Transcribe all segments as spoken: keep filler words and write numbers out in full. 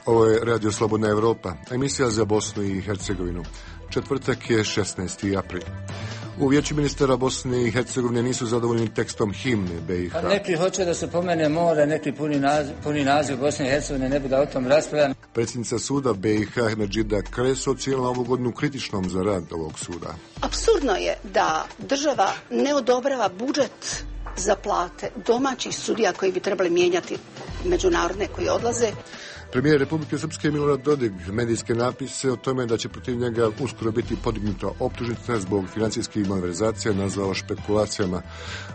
Ovo je Radio Slobodna Evropa, emisija za Bosnu i Hercegovinu. Četvrtak je šesnaesti april. U Vijeću ministara Bosne i Hercegovine nisu zadovoljni tekstom himne B i H. Pa neki hoće da se pomene more, neki puni naziv, puni naziv Bosne i Hercegovine, ne bi da o tom raspravljam. Predsjednica suda B i H Medžida Kreso ocijenila ovu godinu kritičnom za rad ovog suda. Apsurdno je da država ne odobrava budžet za plate domaćih sudija koji bi trebali mijenjati međunarodne koji odlaze. Premijer Republike Srpske Milorad Dodik medijske napise o tome da će protiv njega uskoro biti podignuta optužnica zbog financijskih malverzacija nazvao špekulacijama.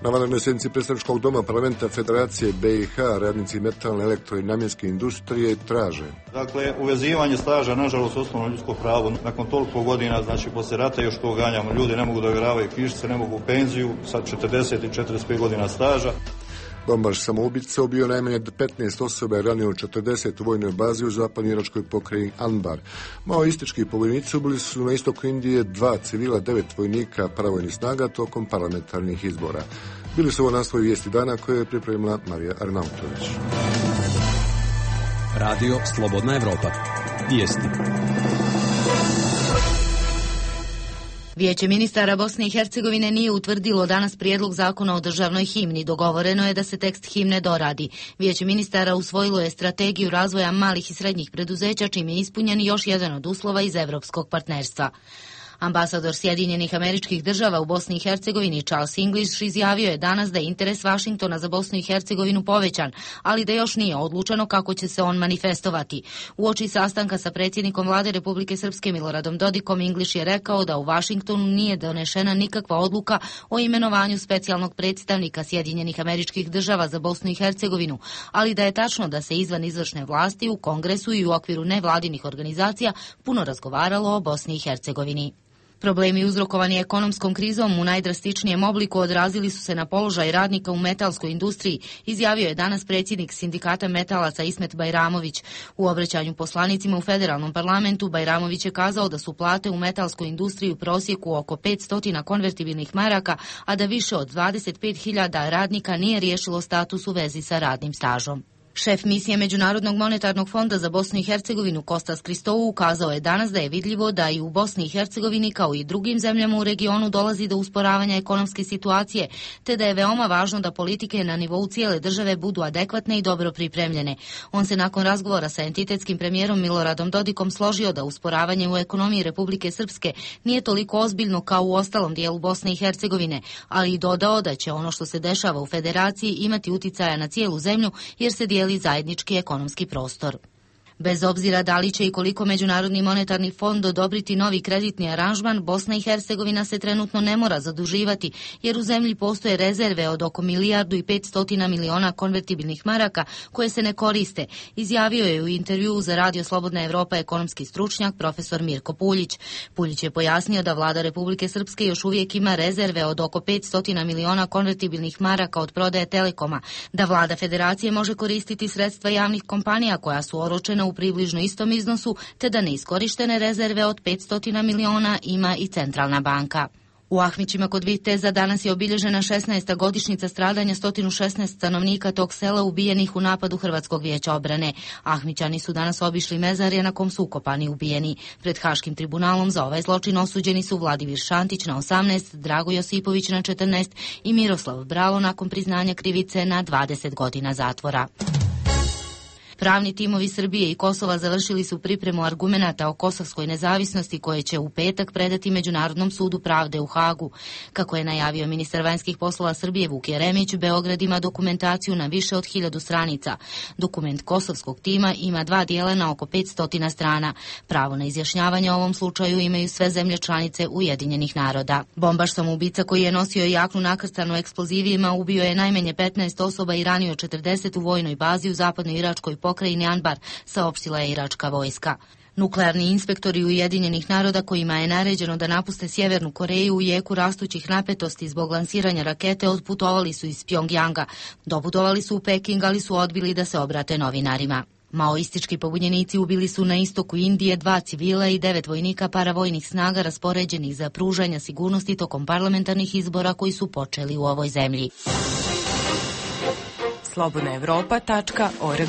Na vanrednoj sjednici predstavničkog doma parlamenta Federacije B i H radnici metalne, elektro i namjenske industrije traže. Dakle, uvezivanje staža, nažalost, osnovno ljudsko pravo. Nakon toliko godina, znači, posle rata još to ganjamo. Ljudi ne mogu da ovjeravaju knjižice, ne mogu u penziju, sad četrdeset i četrdeset pet godina staža. Bombaš samoubica ubio najmanje petnaest osoba i ranio četrdeset u vojnoj bazi u zapadnoj iračkoj pokrajini Anbar. Maoistički pobojnici ubili su na istoku Indije dva civila, devet vojnika paravojnih snaga tokom parlamentarnih izbora. Bili su ovo naslovi vijesti dana koje je pripremila Marija Arnautović. Radio Slobodna Evropa. Vijesti. Vijeće ministara Bosne i Hercegovine nije utvrdilo danas prijedlog zakona o državnoj himni. Dogovoreno je da se tekst himne doradi. Vijeće ministara usvojilo je strategiju razvoja malih i srednjih preduzeća, čime je ispunjen još jedan od uslova iz evropskog partnerstva. Ambasador Sjedinjenih Američkih Država u Bosni i Hercegovini Charles English izjavio je danas da je interes Vašingtona za Bosnu i Hercegovinu povećan, ali da još nije odlučeno kako će se on manifestovati. Uoči sastanka sa predsjednikom vlade Republike Srpske Miloradom Dodikom, English je rekao da u Vašingtonu nije donešena nikakva odluka o imenovanju specijalnog predstavnika Sjedinjenih Američkih Država za Bosnu i Hercegovinu, ali da je tačno da se izvan izvršne vlasti u Kongresu i u okviru nevladinih organizacija puno razgovaralo o Bosni i Hercegovini. Problemi uzrokovani ekonomskom krizom u najdrastičnijem obliku odrazili su se na položaj radnika u metalskoj industriji, izjavio je danas predsjednik sindikata metalaca Ismet Bajramović. U obraćanju poslanicima u federalnom parlamentu Bajramović je kazao da su plate u metalskoj industriji u prosjeku oko petsto konvertibilnih maraka, a da više od dvadeset pet hiljada radnika nije riješilo status u vezi sa radnim stažom. Šef misije Međunarodnog monetarnog fonda za Bosnu i Hercegovinu Kostas Kristou ukazao je danas da je vidljivo da i u Bosni i Hercegovini kao i drugim zemljama u regionu dolazi do usporavanja ekonomske situacije, te da je veoma važno da politike na nivou cijele države budu adekvatne i dobro pripremljene. On se nakon razgovora sa entitetskim premijerom Miloradom Dodikom složio da usporavanje u ekonomiji Republike Srpske nije toliko ozbiljno kao u ostalom dijelu Bosne i Hercegovine, ali i dodao da će ono što se dešava u federaciji imati uticaja na cijelu zemlju jer se dijeli zajednički ekonomski prostor. Bez obzira da li će i koliko Međunarodni monetarni fond odobriti novi kreditni aranžman, Bosna i Hercegovina se trenutno ne mora zaduživati, jer u zemlji postoje rezerve od oko milijardu i petstotina miliona konvertibilnih maraka koje se ne koriste, izjavio je u intervjuu za Radio Slobodna Evropa ekonomski stručnjak profesor Mirko Puljić. Puljić je pojasnio da vlada Republike Srpske još uvijek ima rezerve od oko petsto miliona konvertibilnih maraka od prodaje Telekoma, da vlada federacije može koristiti sredstva javnih kompanija koja su oročena u približno istom iznosu, te da neiskorištene rezerve od petsto miliona ima i Centralna banka. U Ahmićima kod Viteza danas je obilježena šesnaesta godišnjica stradanja sto šesnaest stanovnika tog sela ubijenih u napadu Hrvatskog vijeća obrane. Ahmićani su danas obišli mezarje na kom su ukopani ubijeni. Pred Haškim tribunalom za ovaj zločin osuđeni su Vladimir Šantić na osamnaest, Drago Josipović na četrnaest i Miroslav Bralo nakon priznanja krivice na dvadeset godina zatvora. Pravni timovi Srbije i Kosova završili su pripremu argumenata o kosovskoj nezavisnosti koje će u petak predati Međunarodnom sudu pravde u Hagu. Kako je najavio ministar vanjskih poslova Srbije Vuk Jeremić, Beograd ima dokumentaciju na više od hiljadu stranica. Dokument kosovskog tima ima dva dijela na oko petsto strana. Pravo na izjašnjavanje o ovom slučaju imaju sve zemlje članice Ujedinjenih naroda. Bombaš samoubica koji je nosio jaknu nakrstanu eksplozivima ubio je najmanje petnaest osoba i ranio četrdeset u vojnoj bazi u zapadnoj iračkoj pokrajini Anbar, saopštila je iračka vojska. Nuklearni inspektori Ujedinjenih naroda kojima je naređeno da napuste Sjevernu Koreju u jeku rastućih napetosti zbog lansiranja rakete odputovali su iz Pjongjanga. Doputovali su u Peking, ali su odbili da se obrate novinarima. Maoistički pobunjenici ubili su na istoku Indije dva civila i devet vojnika paravojnih snaga raspoređenih za pružanje sigurnosti tokom parlamentarnih izbora koji su počeli u ovoj zemlji. slobodna evropa tačka org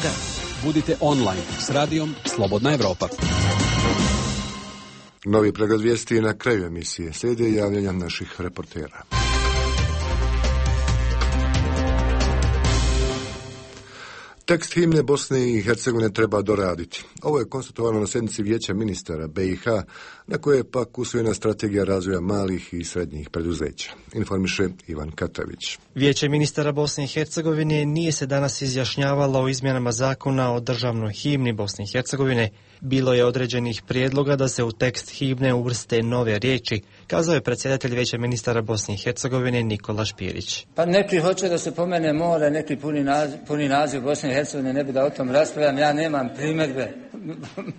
Budite online s radijom Slobodna Evropa. Novi pregled vijesti na kraju emisije. Slijede javljanja naših reportera. Tekst himne Bosne i Hercegovine treba doraditi. Ovo je konstatovano na sjednici Vijeća ministara B i H, na koje je pak usvojena strategija razvoja malih i srednjih preduzeća. Informiše Ivan Katavić. Vijeće ministara Bosne i Hercegovine nije se danas izjašnjavalo o izmjenama zakona o državnoj himni Bosne i Hercegovine. Bilo je određenih prijedloga da se u tekst himne uvrste nove riječi, kazao je predsjedatelj Vijeća ministara Bosne i Hercegovine Nikola Špirić. Pa neki hoće da se pomene more, neki puni naziv, puni naziv Bosne i Hercegovine, ne bi da o tom raspravljam, ja nemam primjedbe,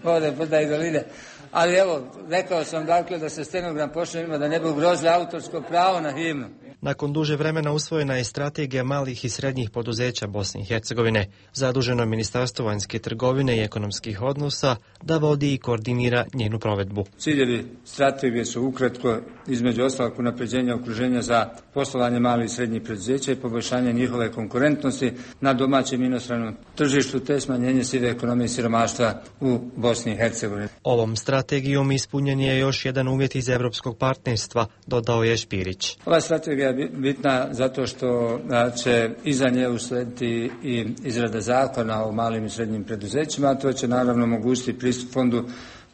more, brda i doline. Ali evo, rekao sam dakle da se stenogram pošaljima da ne bi ugrozili autorsko pravo na himnu. Nakon duže vremena usvojena je strategija malih i srednjih poduzeća Bosne i Hercegovine, zaduženo Ministarstvo vanjske trgovine i ekonomskih odnosa da vodi i koordinira njenu provedbu. Ciljevi strategije su ukratko, između ostalog unapređenja okruženja za poslovanje malih i srednjih preduzeća i poboljšanje njihove konkurentnosti na domaćem i inostranom tržištu te smanjenje sive ekonomije i siromaštva u Bosni i Hercegovini. Ovom strategijom ispunjen je još jedan uvjet iz evropskog partnerstva, dodao je Špirić. Ova strategija je bitna zato što će iza nje uslediti i izrada zakona o malim i srednjim preduzećima, a to će naravno omogućiti pristup fondu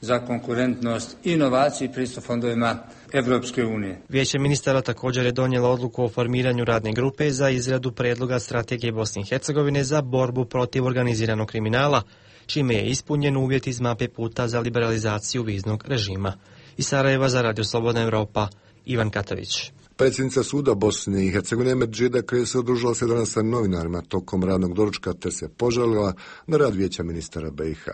za konkurentnost, inovaciji i pristup fondovima Evropske unije. Vijeće ministara također je donijelo odluku o formiranju radne grupe za izradu predloga strategije Bosne i Hercegovine za borbu protiv organiziranog kriminala, čime je ispunjen uvjet iz mape puta za liberalizaciju viznog režima. Iz Sarajeva za Radio Slobodna Evropa, Ivan Katavić. Predsjednica suda Bosne i Hercegovine Medžida Kreso odružila se danas sa novinarima tokom radnog doručka te se požalila na rad Vijeća ministara B i H.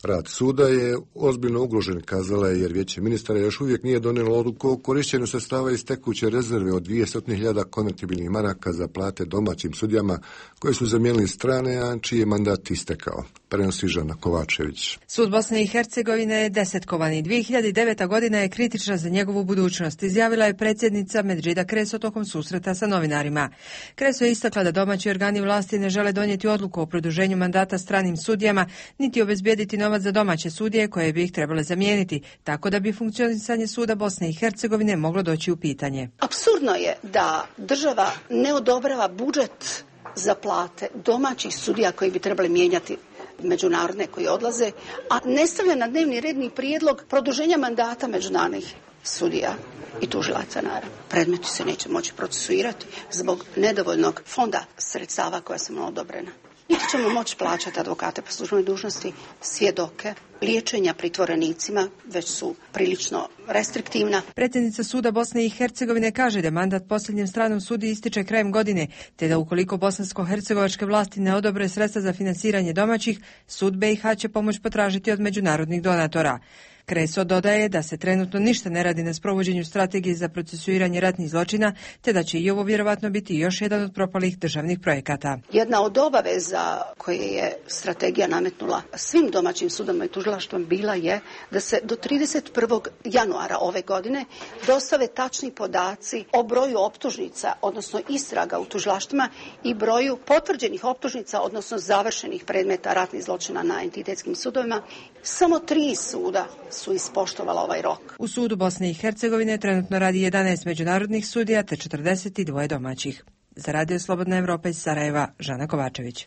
Rad suda je ozbiljno ugrožen, kazala je, jer Vijeće ministara još uvijek nije donijelo odluku o korištenju sredstava iz tekuće rezerve od dvjesto hiljada konvertibilnih maraka za plate domaćim sudijama koje su zamijenili strane, a čiji je mandat istekao. Prenosi Žana Kovačević. Sud Bosne i Hercegovine je desetkovan i dvije hiljade deveta godina je kritična za njegovu budućnost, izjavila je predsjednica Medžida Kreso tokom susreta sa novinarima. Kreso je istakla da domaći organi vlasti ne žele donijeti odluku o produženju mandata stranim sudijama, niti obezbijediti novac za domaće sudije koje bi ih trebale zamijeniti, tako da bi funkcionisanje suda Bosne i Hercegovine moglo doći u pitanje. Apsurdno je da država ne odobrava budžet za plate domaćih sudija koji bi trebali mijenjati međunarodne koji odlaze, a ne stavlja na dnevni redni prijedlog produženja mandata međunarodnih sudija i tužilaca, naravno. Predmeti se neće moći procesuirati zbog nedovoljnog fonda sredstava koja su nam odobrena. Niti ćemo moći plaćati advokate po službenoj dužnosti, svjedoke, liječenja pritvorenicima, već su prilično restriktivna. Predsjednica suda Bosne i Hercegovine kaže da mandat posljednjem stranom sudi ističe krajem godine, te da ukoliko bosansko-hercegovačke vlasti ne odobre sredstva za finansiranje domaćih, sud B i H će pomoć potražiti od međunarodnih donatora. Kreso dodaje da se trenutno ništa ne radi na sprovođenju strategije za procesuiranje ratnih zločina, te da će i ovo vjerovatno biti još jedan od propalih državnih projekata. Jedna od obaveza koje je strategija nametnula svim domaćim sudovima i tužilaštvom bila je da se do trideset prvog januara ove godine dostave tačni podaci o broju optužnica, odnosno istraga u tužilaštvima i broju potvrđenih optužnica, odnosno završenih predmeta ratnih zločina na entitetskim sudovima. Samo tri suda su ispoštovala ovaj rok. U sudu Bosne i Hercegovine trenutno radi jedanaest međunarodnih sudija te četrdeset dva domaćih. Za Radio Slobodna Evropa iz Sarajeva, Žana Kovačević.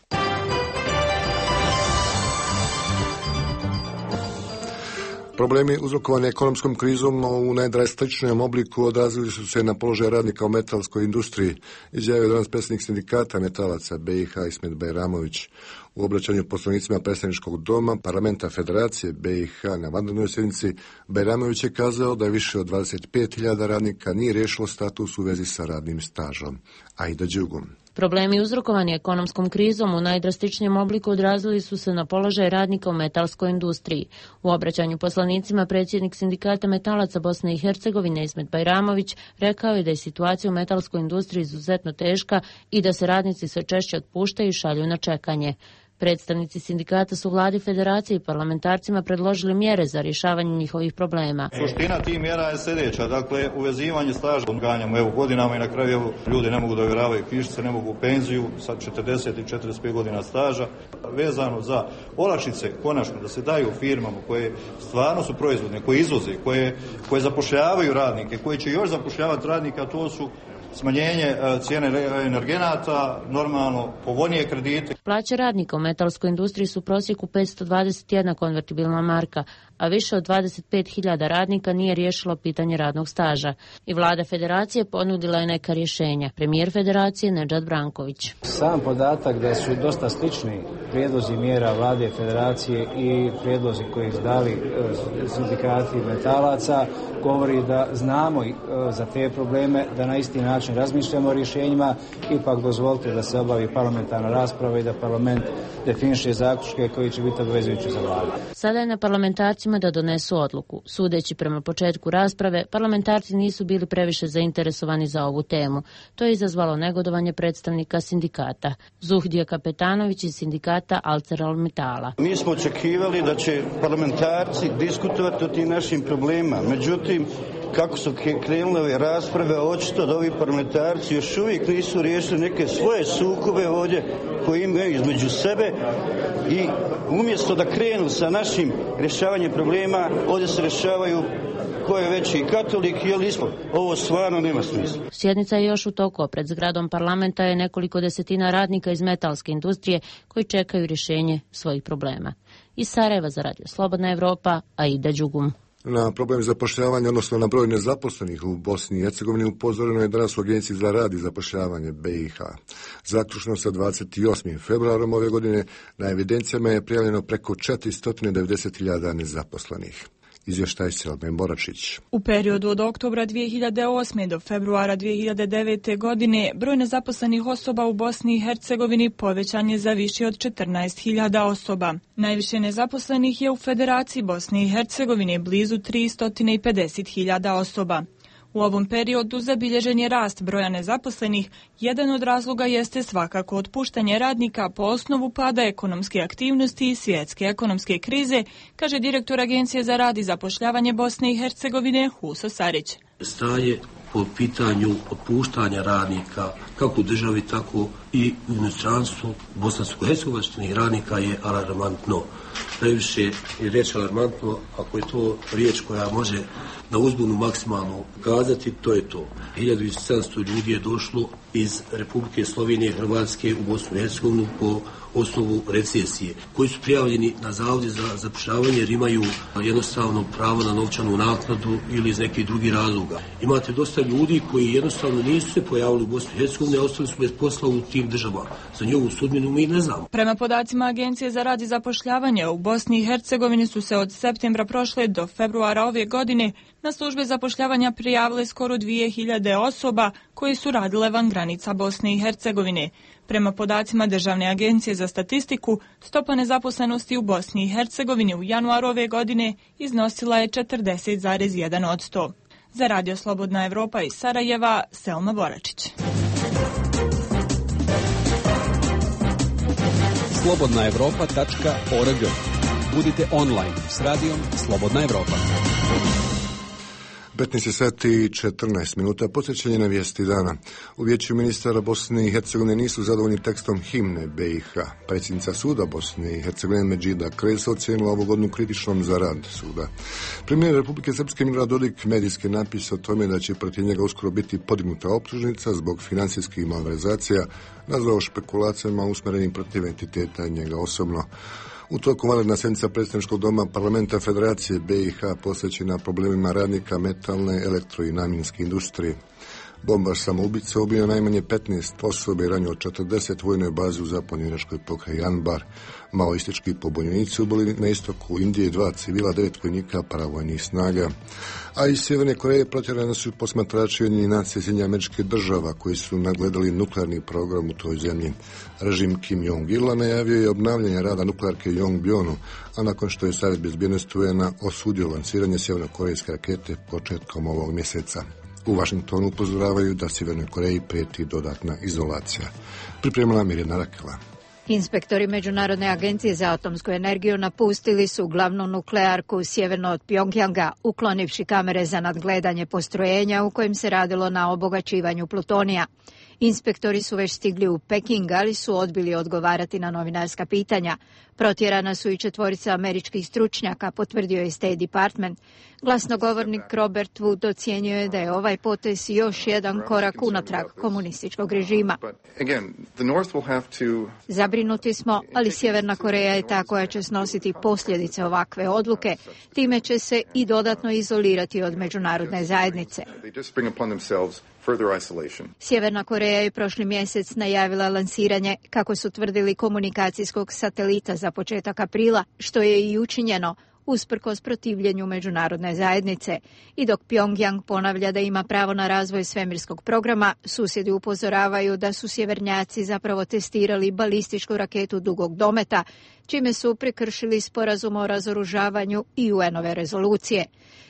Problemi uzrokovani ekonomskom krizom u najdrastičnijem obliku odrazili su se na položaj radnika u metalskoj industriji, izjavio danas predsjednik sindikata metalaca B i H Ismet Bajramović. U obraćanju poslanicima predstavničkog doma parlamenta Federacije B i H na vanrednoj sjednici, Bajramović je kazao da je više od dvadeset pet hiljada radnika nije riješilo status u vezi sa radnim stažom. Aida Đugum. Problemi uzrokovani ekonomskom krizom u najdrastičnijem obliku odrazili su se na položaj radnika u metalskoj industriji. U obraćanju poslanicima predsjednik sindikata metalaca Bosne i Hercegovine Ismet Bajramović rekao je da je situacija u metalskoj industriji izuzetno teška i da se radnici sve češće otpuštaju i šalju na čekanje. Predstavnici sindikata su vladi federacije i parlamentarcima predložili mjere za rješavanje njihovih problema. Suština tih mjera je sljedeća, dakle uvezivanje staža ganjamo evo godinama i na kraju evo, ljudi ne mogu da ovjeravaju knjižice, ne mogu u penziju sa četrdeset i četrdeset pet godina staža. Vezano za olakšice konačno da se daju firmama koje stvarno su proizvodne, koje izvoze, koje, koje zapošljavaju radnike, koje će još zapošljavati radnika, to su smanjenje cijene energenata, normalno povoljnije kredite. Plaće radnika u metalskoj industriji su u prosjeku petsto dvadeset jedna konvertibilna marka, a više od dvadeset pet hiljada radnika nije riješilo pitanje radnog staža. I vlada federacije ponudila je neka rješenja. Premijer federacije Nedžad Branković. Sam podatak da su dosta slični prijedlozi mjera vlade federacije i prijedlozi koji su dali sindikati metalaca govori da znamo za te probleme, da na isti način razmišljamo o rješenjima. Ipak dozvolite da se obavi parlamentarna rasprava i da parlament definiše zaključke koji će biti obvezujući za vladu. Sada je na parlamentarcima da donesu odluku. Sudeći prema početku rasprave, parlamentarci nisu bili previše zainteresovani za ovu temu. To je izazvalo negodovanje predstavnika sindikata. Zuhdija Kapetanović iz sindikata ArcelorMittala. Mi smo očekivali da će parlamentarci diskutovati o tim našim problemima. Međutim, kako su krenule ove rasprave, očito da ovi parlamentarci još uvijek nisu riješili neke svoje sukobe ovdje koje imaju između sebe i umjesto da krenu sa našim rješavanjem problema, ovdje se rješavaju ko je veći katolik ili islam. Ovo stvarno nema smisla. Sjednica je još u toku. Pred zgradom parlamenta je nekoliko desetina radnika iz metalske industrije koji čekaju rješenje svojih problema. Iz Sarajeva za Radio Slobodna Evropa, Aida Đugum. Na problem zapošljavanja, odnosno na broj nezaposlenih u Bosni i Hercegovini upozoreno je danas u Agenciji za rad i zapošljavanje B i H. Zaključno sa dvadeset osmim februarom ove godine na evidencijama je prijavljeno preko četiristo devedeset hiljada nezaposlenih. Izvještaj Selmen Boračić. U periodu od oktobra dvije hiljade osme do februara dvije hiljade devete. godine broj nezaposlenih osoba u Bosni i Hercegovini povećan je za više od četrnaest hiljada osoba. Najviše nezaposlenih je u Federaciji Bosne i Hercegovine, blizu tristo pedeset hiljada osoba. U ovom periodu zabilježen je rast broja nezaposlenih. Jedan od razloga jeste svakako otpuštanje radnika po osnovu pada ekonomske aktivnosti i svjetske ekonomske krize, kaže direktor Agencije za rad i zapošljavanje Bosne i Hercegovine Huso Sarić. Stanje po pitanju otpuštanja radnika, kako u državi, tako i u inostranstvu bosansko-hercegovačkih radnika je alarmantno. Najviše je riječ alarmantno, ako je to riječ koja može na uzbunu maksimalno kazati, to je to. hiljadu sedamsto ljudi je došlo iz Republike Slovenije i Hrvatske u Bosnu i Hercegovinu po osnovu recesije, koji su prijavljeni na zavode za zapošljavanje jer imaju jednostavno pravo na novčanu naknadu ili iz nekih drugih razloga. Imate dosta ljudi koji jednostavno nisu se pojavili u Bosni i Hercegovini, a ostali su bez posla u tim državama. Za njovu sudbinu mi ne znamo. Prema podacima Agencije za rad i zapošljavanje u Bosni i Hercegovini su se od septembra prošle do februara ove godine na službe zapošljavanja prijavile skoro dvije hiljade osoba koji su radile van granica Bosne i Hercegovine. Prema podacima Državne agencije za statistiku, stopa nezaposlenosti u Bosni i Hercegovini u januaru ove godine iznosila je četrdeset zarez jedan posto. Za Radio Slobodna Evropa iz Sarajeva, Selma Boračić. slobodna evropa tačka org. Budite online s radijom Slobodna Evropa. petnaest sati i četrnaest minuta, posjećanje na vijesti dana. U Vijeću ministara Bosne i Hercegovine nisu zadovoljni tekstom himne B i H. Predsjednica suda Bosne i Hercegovine Medžida Kresa ocijenila ovu godinu kritičnom za rad suda. Premijer Republike Srpske Milorad Dodik medijski napis o tome da će protiv njega uskoro biti podignuta optužnica zbog financijskih malverzacija nazvao špekulacijama usmjerenim protiv entiteta njega osobno. U toku vanredna sjednica predstavničkog doma parlamenta Federacije B i H posvećena problemima radnika metalne, elektro i namjenske industrije. Bombaš samoubica ubio najmanje petnaest osobe i ranio četrdeset vojnoj bazi u zapadnoj iračkoj pokrajini Anbar. Maoistički pobunjenici ubili na istoku Indije dva civila, devet vojnika paravojnih snaga. A iz Sjeverne Koreje protjerani su posmatrači Ujedinjenih nacija Sjedinjenih Američkih Država koji su nadgledali nuklearni program u toj zemlji. Režim Kim Jong-ila najavio je obnavljanje rada nuklearke Yongbyon-u, a nakon što je Savjet bezbjednosti U N A osudio lanciranje sjevernokorejske rakete početkom ovog mjeseca. U Vašingtonu upozoravaju da Sjevernoj Koreji prijeti dodatna izolacija. Pripremila Mirjana Rakela. Inspektori Međunarodne agencije za atomsku energiju napustili su glavnu nuklearku sjeverno od Pjongjanga, uklonivši kamere za nadgledanje postrojenja u kojem se radilo na obogaćivanju plutonija. Inspektori su već stigli u Peking, ali su odbili odgovarati na novinarska pitanja. Protjerana su i četvorica američkih stručnjaka, potvrdio je State Department. Glasnogovornik Robert Wood ocijenio je da je ovaj potez još jedan korak unatrag komunističkog režima. Zabrinuti smo, ali Sjeverna Koreja je ta koja će snositi posljedice ovakve odluke. Time će se i dodatno izolirati od međunarodne zajednice. Sjeverna Koreja je prošli mjesec najavila lansiranje, kako su tvrdili, komunikacijskog satelita za početak aprila, što je i učinjeno usprkos protivljenju međunarodne zajednice. I dok Pjongjang ponavlja da ima pravo na razvoj svemirskog programa, susjedi upozoravaju da su sjevernjaci zapravo testirali balističku raketu dugog dometa, čime su prekršili sporazum o razoružavanju i U N-ove rezolucije.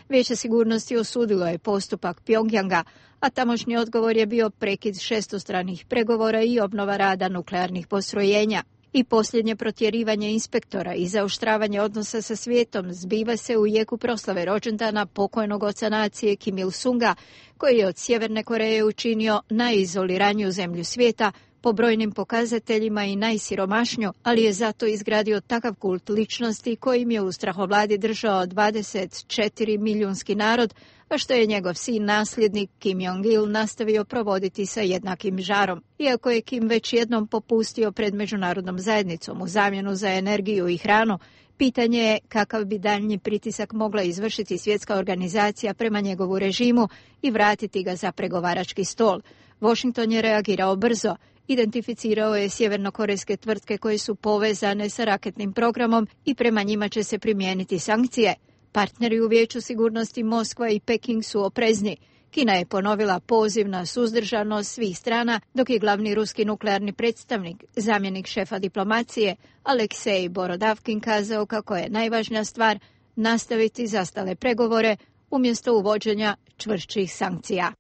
Vijeće sigurnosti osudilo je postupak Pjongjanga, a tamošnji odgovor je bio prekid šestostranih pregovora i obnova rada nuklearnih postrojenja. I posljednje protjerivanje inspektora i zaoštravanje odnosa sa svijetom zbiva se u jeku proslave rođendana pokojnog oca nacije Kim Il-sunga, koji je od Sjeverne Koreje učinio najizoliraniju zemlju svijeta po brojnim pokazateljima i najsiromašnju, ali je zato izgradio takav kult ličnosti kojim je u strahovladi držao dvadeset četiri milijunski narod, a što je njegov sin nasljednik Kim Jong-il nastavio provoditi sa jednakim žarom. Iako je Kim već jednom popustio pred međunarodnom zajednicom u zamjenu za energiju i hranu, pitanje je kakav bi daljnji pritisak mogla izvršiti svjetska organizacija prema njegovu režimu i vratiti ga za pregovarački stol. Washington je reagirao brzo. Identificirao je sjevernokorejske tvrtke koje su povezane sa raketnim programom i prema njima će se primijeniti sankcije. Partneri u Vijeću sigurnosti Moskva i Peking su oprezni. Kina je ponovila poziv na suzdržanost svih strana, dok je glavni ruski nuklearni predstavnik, zamjenik šefa diplomacije, Aleksej Borodavkin kazao kako je najvažnija stvar nastaviti zastale pregovore umjesto uvođenja čvršćih sankcija.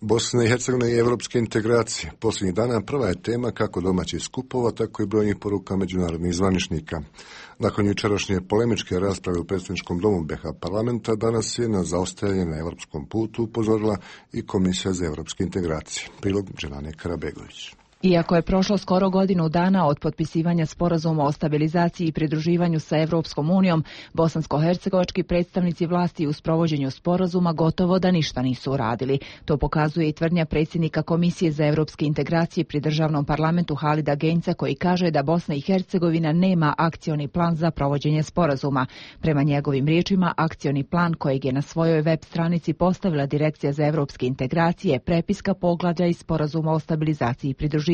Bosna i Hercegovina i evropske integracije. Posljednjih dana prva je tema kako domaćih skupova, tako i brojnih poruka međunarodnih zvaničnika. Nakon jučerašnje polemičke rasprave u predsjedničkom domu B iH parlamenta, danas je na zaostajanje na evropskom putu upozorila i Komisija za evropske integracije. Prilog Dželane Karabegović. Iako je prošlo skoro godinu dana od potpisivanja sporazuma o stabilizaciji i pridruživanju sa Evropskom unijom, bosansko-hercegovački predstavnici vlasti u sprovođenju sporazuma gotovo da ništa nisu uradili. To pokazuje i tvrdnja predsjednika Komisije za evropske integracije pri državnom parlamentu Halida Genca, koji kaže da Bosna i Hercegovina nema akcioni plan za provođenje sporazuma. Prema njegovim riječima, akcioni plan kojeg je na svojoj web stranici postavila Direkcija za evropske integracije je prepiska poglavlja iz sporazuma o stabilizaciji i pridruživanju.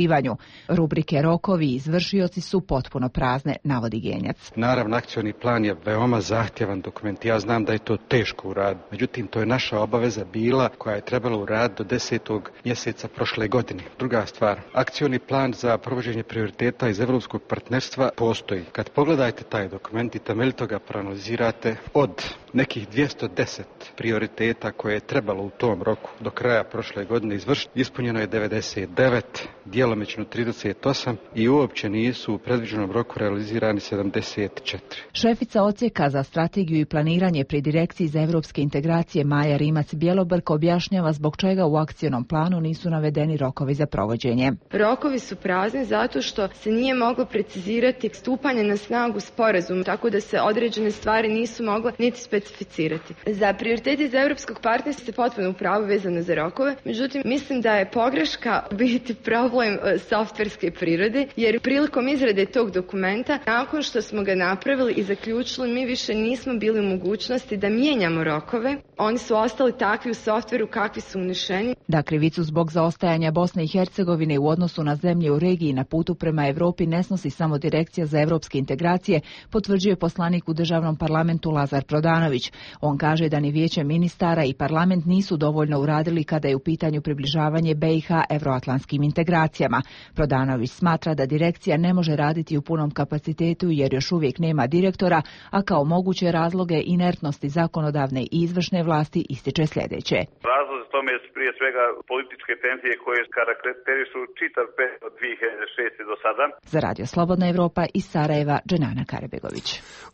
Rubrike rokovi i izvršioci su potpuno prazne, navodi Genjac. Naravno, akcioni plan je veoma zahtjevan dokument. Ja znam da je to teško uraditi. Međutim, to je naša obaveza bila koja je trebala uraditi do desetog mjeseca prošle godine. Druga stvar, akcioni plan za provođenje prioriteta iz evropskog partnerstva postoji. Kad pogledajte taj dokument i temeljito ga proanalizirate, od nekih dvjesto deset prioriteta koje je trebalo u tom roku do kraja prošle godine izvršiti, ispunjeno je devedeset devet, djelomično trideset osam i uopće nisu u predviđenom roku realizirani sedamdeset četiri. Šefica odsjeka za strategiju i planiranje pri Direkciji za evropske integracije Maja Rimac-Bjelobrk objašnjava zbog čega u akcionom planu nisu navedeni rokovi za provođenje. Rokovi su prazni zato što se nije moglo precizirati stupanje na snagu sporazuma, tako da se određene stvari nisu mogle niti specificirati. Za prioriteti za evropskog partnerstva se potpuno upravo vezano za rokove, međutim mislim da je pogreška biti problem softverske prirode, jer prilikom izrade tog dokumenta, nakon što smo ga napravili i zaključili, mi više nismo bili u mogućnosti da mijenjamo rokove. Oni su ostali takvi u softveru kakvi su unešeni. Da krivicu zbog zaostajanja Bosne i Hercegovine u odnosu na zemlje u regiji na putu prema Evropi ne snosi samo Direkcija za evropske integracije, potvrđuje poslanik u državnom parlamentu Lazar Prodanović. On kaže da ni Vijeće ministara i parlament nisu dovoljno uradili kada je u pitanju približavanje B iH evroatlantskim integracijama. investicijama. Prodanović smatra da direkcija ne može raditi u punom kapacitetu jer još uvijek nema direktora, a kao moguće razloge inertnosti zakonodavne i izvršne vlasti ističe sljedeće. Razlozi tome su prije svega političke tenzije koje karakterišu čitav period od dvije hiljade šeste do sada. Za Radio Slobodna Evropa iz Sarajeva, Dženana Karebegović.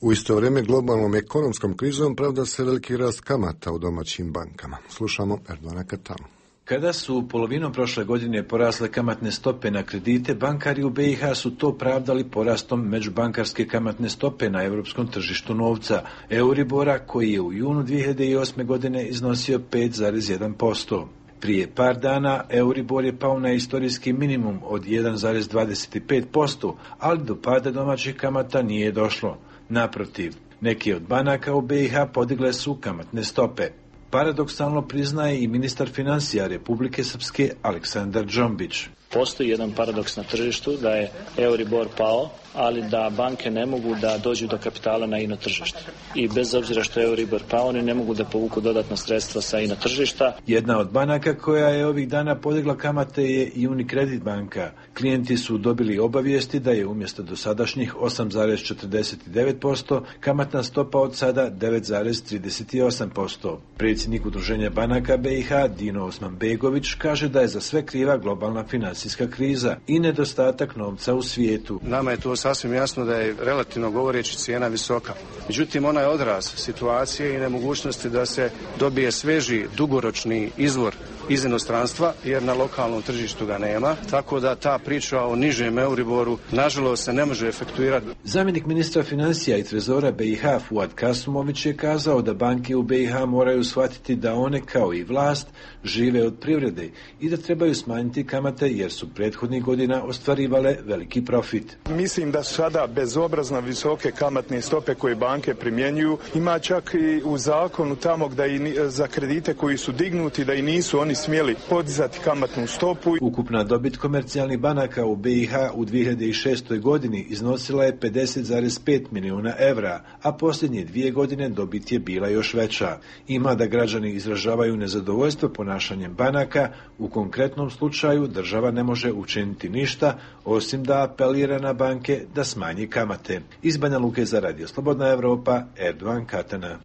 U isto vrijeme globalnom ekonomskom krizom pravda se veliki rast kamata u domaćim bankama. Slušamo Erdogana Katanu. Kada su polovinom prošle godine porasle kamatne stope na kredite, bankari u B i H su to pravdali porastom međubankarske kamatne stope na europskom tržištu novca, Euribora, koji je u junu dvije hiljade osme godine iznosio pet zarez jedan posto. Prije par dana Euribor je pao na istorijski minimum od jedan zarez dvadeset pet posto, ali do pada domaćih kamata nije došlo. Naprotiv, neki od banaka u B i H podigle su kamatne stope. Paradoksalno priznaje i ministar financija Republike Srpske Aleksandar Džombić. Postoji jedan paradoks na tržištu da je Euribor pao, ali da banke ne mogu da dođu do kapitala na ino tržište. I bez obzira što je Euribor pao, oni ne mogu da povuku dodatna sredstva sa ino tržišta. Jedna od banaka koja je ovih dana podigla kamate je i Unicredit banka. Klijenti su dobili obavijesti da je umjesto dosadašnjih osam zarez četrdeset devet posto kamatna stopa od sada devet zarez trideset osam posto. Predsjednik Udruženja banaka B i H Dino Osmanbegović kaže da je za sve kriva globalna financijska kriza i nedostatak novca u svijetu. Nama je to sasvim jasno da je relativno govoreći cijena visoka. Međutim, ona je odraz situacije i nemogućnosti da se dobije sveži, dugoročni izvor iz inostranstva, jer na lokalnom tržištu ga nema, tako da ta priča o nižem Euriboru nažalost se ne može efektuirati. Zamjenik ministra financija i trezora B i H Fuad Kasumović je kazao da banke u B i H moraju shvatiti da one, kao i vlast, žive od privrede i da trebaju smanjiti kamate jer su prethodnih godina ostvarivale veliki profit. Mislim da sada bezobrazno visoke kamatne stope koje banke primjenjuju, ima čak i u zakonu tamo da i za kredite koji su dignuti da i nisu oni smjeli podizati kamatnu stopu. Ukupna dobit komercijalnih banaka u B i H u dvije hiljade šestoj godini iznosila je pedeset zarez pet milijuna evra, a posljednje dvije godine dobit je bila još veća. Ima da građani izražavaju nezadovoljstvo ponašanjem banaka, u konkretnom slučaju država ne može učiniti ništa, osim da apelira na banke da smanji kamate. Iz Banja Luke za Radio Slobodna Evropa, Erdogan Katana.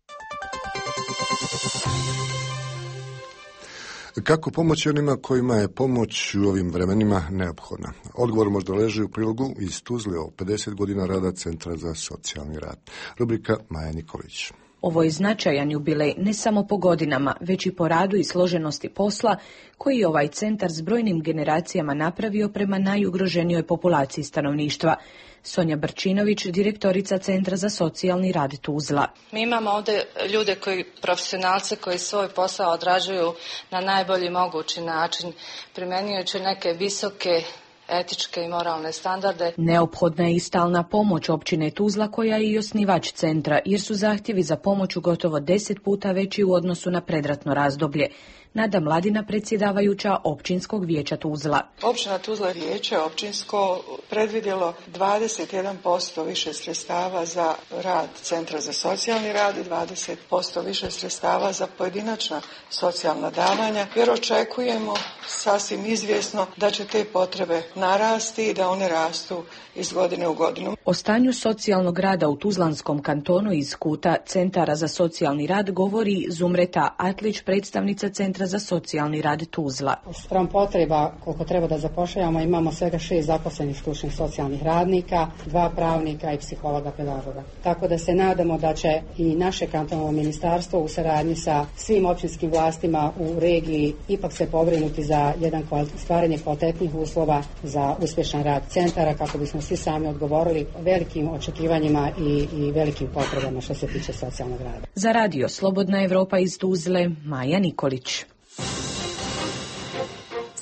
Kako pomoći onima kojima je pomoć u ovim vremenima neophodna? Odgovor možda leži u prilogu iz Tuzle o pedeset godina rada Centra za socijalni rad. Rubrika Maja Nikolić. Ovo je značajan jubilej ne samo po godinama, već i po radu i složenosti posla koji je ovaj centar s brojnim generacijama napravio prema najugroženijoj populaciji stanovništva. Sonja Brčinović, direktorica Centra za socijalni rad Tuzla. Mi imamo ovdje ljude koji, profesionalce koji svoj posao odrađuju na najbolji mogući način, primjenjujući neke visoke etičke i moralne standarde. Neophodna je i stalna pomoć općine Tuzla koja je i osnivač centra, jer su zahtjevi za pomoć gotovo deset puta veći u odnosu na predratno razdoblje. Nada Mladina, predsjedavajuća općinskog vijeća Tuzla. Općina Tuzla vijeće općinsko predvidjelo dvadeset jedan posto više sredstava za rad Centra za socijalni rad i dvadeset posto više sredstava za pojedinačna socijalna davanja, jer očekujemo sasvim izvjesno da će te potrebe narasti i da one rastu iz godine u godinu. O stanju socijalnog rada u Tuzlanskom kantonu iz kuta Centara za socijalni rad govori Zumreta Atlić, predstavnica Centra za socijalni rad Tuzla. Spram potreba koliko treba da zapošljavamo, imamo svega šest zaposlenih stručnih socijalnih radnika, dva pravnika i psihologa pedagoga. Tako da se nadamo da će i naše kantonalno ministarstvo u saradnji sa svim općinskim vlastima u regiji ipak se pobrinuti za jedan stvaranje kvalitetnih uslova za uspješan rad centara, kako bismo svi sami odgovorili velikim očekivanjima i, i velikim potrebama što se tiče socijalnog rada. Za Radio Slobodna Evropa iz Tuzle, Maja Nikolić.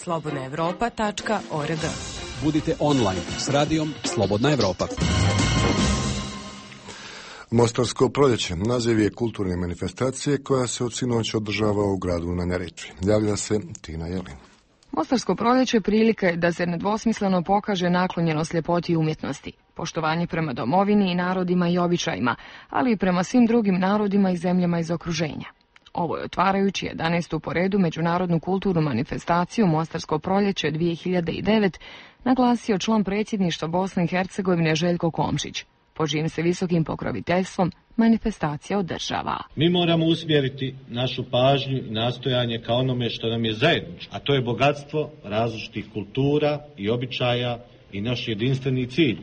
slobodna evropa tačka org. Budite online s radijom Slobodna Evropa. Mostarsko proljeće naziv je kulturne manifestacije koja se od sinoć održava u gradu na Neretvi. Javlja se Tina Jelin. Mostarsko proljeće prilika je da se nedvosmisleno pokaže naklonjenost ljepoti i umjetnosti, poštovanje prema domovini i narodima i običajima, ali i prema svim drugim narodima i zemljama iz okruženja. Ovo je otvarajući jedanaestu po redu međunarodnu kulturnu manifestaciju Mostarsko proljeće dvije hiljade devet, naglasio član predsjedništva Bosne i Hercegovine Željko Komšić, pod čijim se visokim pokroviteljstvom manifestacija održava. Mi moramo usmjeriti našu pažnju i nastojanje ka onome što nam je zajedničko, a to je bogatstvo različitih kultura i običaja i naš jedinstveni cilj,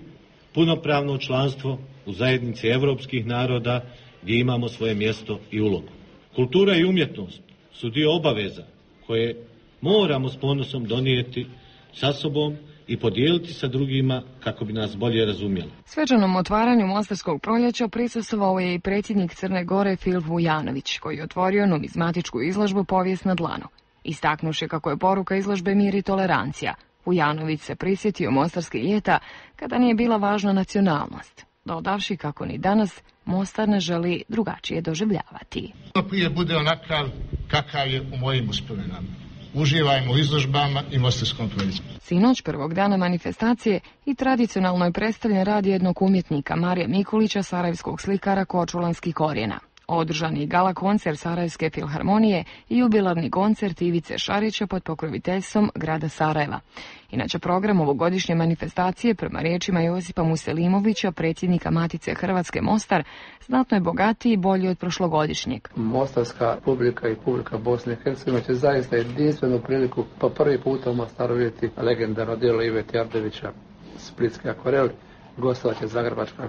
punopravno članstvo u zajednici evropskih naroda gdje imamo svoje mjesto i ulogu. Kultura i umjetnost su dio obaveza koje moramo s ponosom donijeti sa sobom i podijeliti sa drugima kako bi nas bolje razumjeli. Svečanom otvaranju Mostarskog proljeća prisustvovao je i predsjednik Crne Gore Filip Vujanović, koji je otvorio numizmatičku izložbu Povijest na dlanu. Istaknuši kako je poruka izložbe mir i tolerancija, Vujanović se prisjetio mostarske ljeta kada nije bila važna nacionalnost, dodavši kako ni danas Mostar ne želi drugačije doživljavati. Prije bude onakav kakav je u mojim uspomenama. Uživajmo u izložbama i Mostarskom proljeću. Sinoć, prvog dana manifestacije, i tradicionalno je predstavljen rad jednog umjetnika Marija Mikulića, sarajevskog slikara kočulanskih korijena. Održan je gala koncert Sarajevske filharmonije i jubilarni koncert Ivice Šarića pod pokroviteljstvom grada Sarajeva. Inače, program ovogodišnje manifestacije, prema riječima Josipa Muselimovića, predsjednika Matice Hrvatske Mostar, znatno je bogatiji i bolji od prošlogodišnjeg. Mostarska publika i publika Bosne i Hercegovine će zaista jedinstvenu priliku po prvi puta u Mostaru vidjeti legendarno djelo Ive Tjardevića, Splitski akvarel. Gostovat će Zagrebačka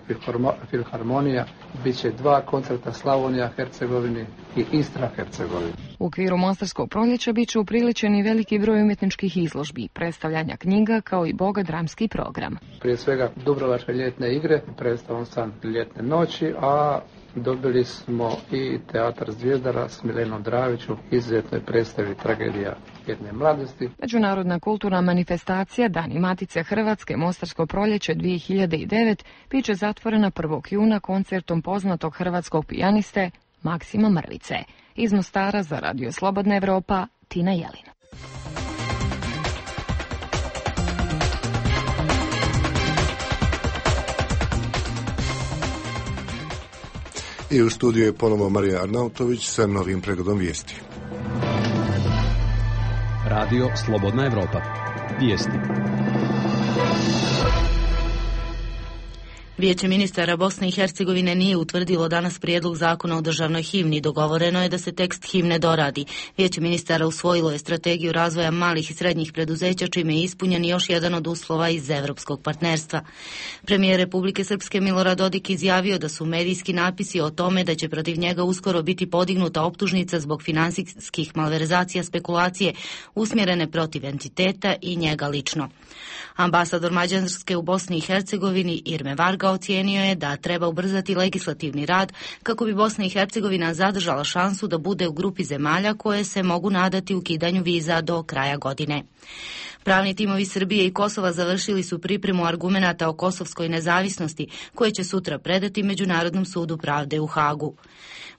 filharmonija, bit će dva koncerta Slavonija Hercegovini i Istra Hercegovini. U okviru Mostarskog proljeća bit će upriličeni veliki broj umjetničkih izložbi, predstavljanja knjiga kao i bogat dramski program. Prije svega Dubrovačke ljetne igre, predstavom San ljetne noći, a dobili smo i teatar Zvijezdara s Milenom Draviću, izuzetnoj predstavi Tragedija jedne mladosti. Međunarodna kulturna manifestacija Dani Matice Hrvatske Mostarsko proljeće dvije hiljade devet bit će zatvorena prvog juna koncertom poznatog hrvatskog pijaniste Maksima Mrvice. Iz Mostara za Radio Slobodna Evropa, Tina Jelin. I u studiju je ponovo Marija Arnautović sa novim pregledom vijesti. Radio Slobodna Evropa. Vijesti. Vijeće ministara Bosne i Hercegovine nije utvrdilo danas prijedlog zakona o državnoj himni. Dogovoreno je da se tekst himne doradi. Vijeće ministara usvojilo je strategiju razvoja malih i srednjih preduzeća, čime je ispunjen još jedan od uslova iz evropskog partnerstva. Premijer Republike Srpske Milorad Dodik izjavio da su medijski napisi o tome da će protiv njega uskoro biti podignuta optužnica zbog finansijskih malverzacija spekulacije usmjerene protiv entiteta i njega lično. Ambasador Mađarske u Bosni i Hercegovini Irme Varga ocijenio je da treba ubrzati legislativni rad kako bi Bosna i Hercegovina zadržala šansu da bude u grupi zemalja koje se mogu nadati ukidanju viza do kraja godine. Pravni timovi Srbije i Kosova završili su pripremu argumenata o kosovskoj nezavisnosti koje će sutra predati Međunarodnom sudu pravde u Hagu.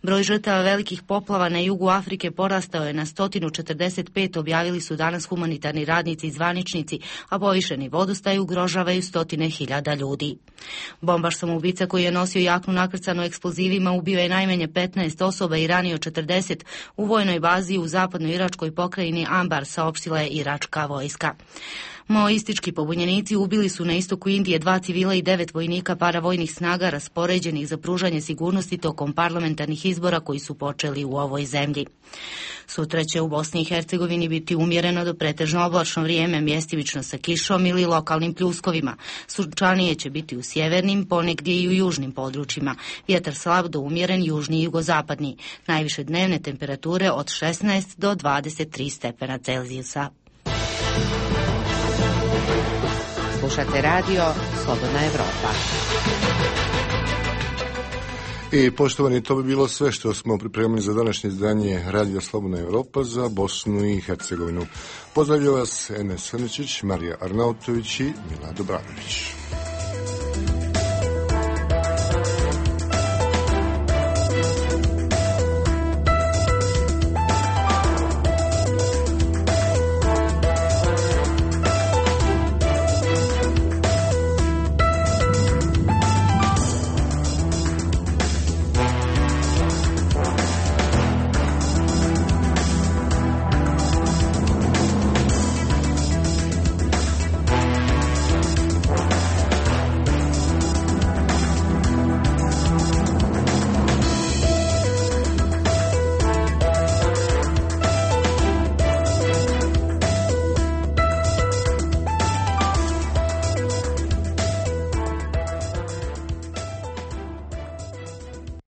Broj žrtava velikih poplava na jugu Afrike porastao je na sto četrdeset pet, objavili su danas humanitarni radnici i zvaničnici, a povišeni vodostaj ugrožavaju stotine hiljada ljudi. Bombaš samoubica koji je nosio jaknu nakrcanu eksplozivima ubio je najmanje petnaest osoba i ranio četrdeset u vojnoj bazi u zapadnoj iračkoj pokrajini Anbar, saopštila je iračka vojska. Maoistički pobunjenici ubili su na istoku Indije dva civila i devet vojnika paravojnih snaga raspoređenih za pružanje sigurnosti tokom parlamentarnih izbora koji su počeli u ovoj zemlji. Sutra će u Bosni i Hercegovini biti umjereno do pretežno oblačno vrijeme, mjestimično sa kišom ili lokalnim pljuskovima. Sunčanije će biti u sjevernim, ponegdje i u južnim područjima. Vjetar slab do umjeren južni i jugozapadni. Najviše dnevne temperature od šesnaest do dvadeset tri stepena Celzijusa. Slušate radio Slobodna Evropa. I poštovani, to bi bilo sve što smo pripremili za današnje izdanje Radio Slobodna Evropa za Bosnu i Hercegovinu. Pozdravljaju vas Enes Srničić, Marija Arnautović i Mila Dobranović.